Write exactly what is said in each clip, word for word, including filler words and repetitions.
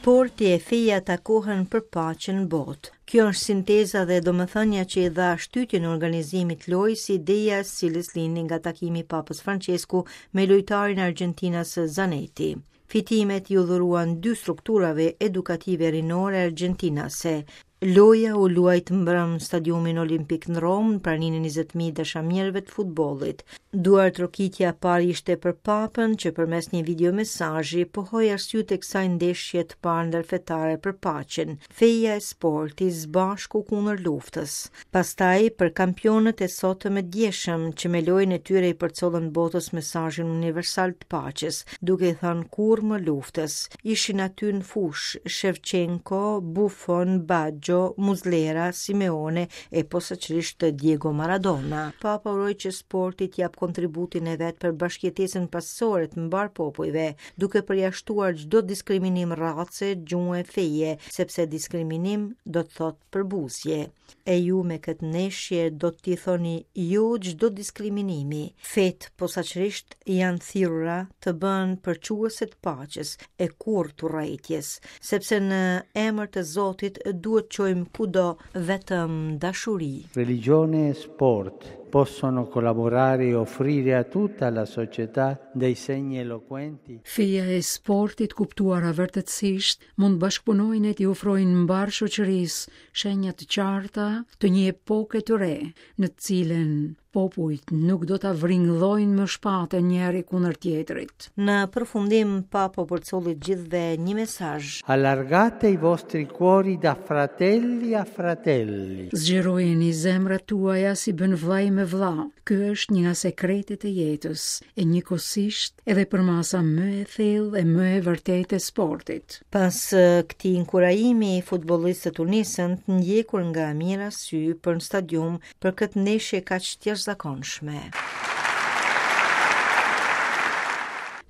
Sporti e feja takohen për paqen në botë. Kjo është sinteza dhe domethënia që i dha shtytjen organizimit lojës, ideja e cilës lindi nga takimi i Papës Francesku me lojtarin argjentinas Zanetti. Fitimet iu dhuruan dy strukturave edukative rinore argjentinase. Loja u luajt mbrëm në stadiumin olimpik në Romë, në praninë e njëzet mijë dashamirëve të futbollit. Duartrokitja e parë ishte për Papën, që përmes një videomesazhi pohoi arsyet e kësaj ndeshje të parë ndërfetare për paqen, feja e sporti së bashku kundër luftës. Pastaj për kampionët e sotëm e djeshëm, që me lojën e tyre i përcollën botës mesazhin universal të paqes, duke i thënë kurrë më luftës. Ishin aty në fushë Shevchenko, Buffon, Baggio, Muslera, Simeone e posaçërisht Diego Maradona. Papa uroi që sporti t'jap kontributin e vet për bashkëjetesën paqësore të mbar popujve, duke përjashtuar çdo diskriminim race, gjuhë, feje, sepse diskriminim do të thotë përbuzje. E ju me këtë ndeshje do t'i thoni jo çdo diskriminimi. Fetë posaçërisht janë thirrura të bëhen përçuese të paqes e kurrë të urrejtjes, sepse në emër të Zotit duhet çojmë kudo vetëm dashuri. Religione e sport possono collaborare e offrire a tutta la società dei segni eloquenti. Feja e sportit kuptuara vërtetësisht mund bashkëpunojnë e t'i ofrojnë mbar shoqërisë shenja të qarta të një epoke të re, në të cilën popujt nuk do ta vringllojnë më shpatën njëri kundër tjetrit. Në përfundim, Papa përcolli gjithëve një mesazh. Allargate i vostri cuori da fratelli a fratelli. Zgjerojeni zemrat tuaja si bën vllai me vlla. Ky është një nga sekretet e jetës, e njëkohësisht edhe përmasa më e thellë e më e vërtetë e sportit. Pas eh, këtij inkurajimi, futbollistët u nisën të ndjekur nga mijëra sy për në stadium për këtë ndeshje kaq të jashtëzakonshme.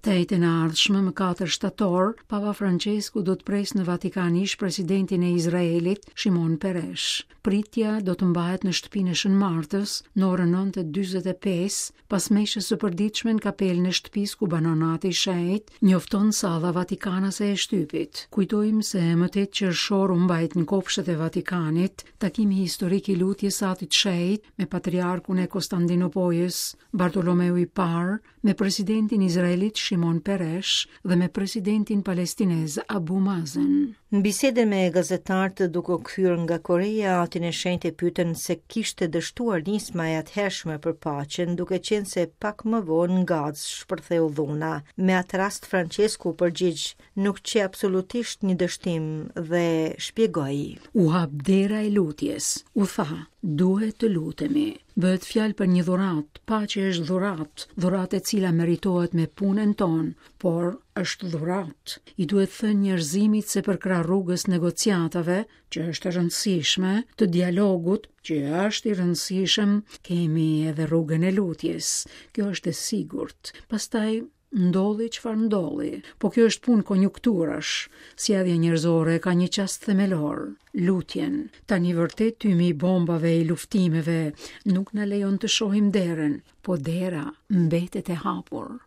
Të enjten e ardhshme, më katër shtator, Papa Francesku do të presë në Vatikan ish presidentin e Izraelit, Shimon Peres. Pritja do të mbahet në shtëpinë e Shën Martës në orën nëntë e dyzet e pesë, pas meshës së përditshme në kapelën e shtëpisë ku banon Ati i Shenjtë, njofton salla vatikanase e shtypit. Kujtojmë se më tetë qershor u mbajt në kopshtet e Vatikanit takimi historik i lutjes së Atit Shenjt me patriarkun e Konstantinopojës, Bartolomeu i Parë, me presidentin izraelit Shimon Peres dhe me presidentin palestinez Abu Mazen. Në bisedën me gazetarët duke u kthyer nga Korea, Atin e Shenjtë e pyetën se kishte dështuar nisma e atëhershme për paqen, duke qenë se pak më vonë në Gazë shpërtheu dhuna. Me atë rast Francesku u përgjigj, nuk qe absolutisht një dështim dhe shpjegoi. U hap dera e lutjes, u tha, duhet të lutemi. Bëhet fjalë për një dhuratë, paqe është dhuratë, dhuratë e cila meritohet me punën tonë, por është dhuratë. I duhet thënë njerëzimit se përkrah rrugës negociatave, që është e rëndësishme, të dialogut, që është i rëndësishëm, kemi edhe rrugën e lutjes. Kjo është e sigurt. Pastaj ndodhi çfarë ndodhi, po kjo është punë konjunkturash. Sjellja njerëzore ka një çast themelor, lutjen. Tani vërtet tymi i bombave e i luftimeve nuk na lejon të shohim derën, po dera mbetet e hapur.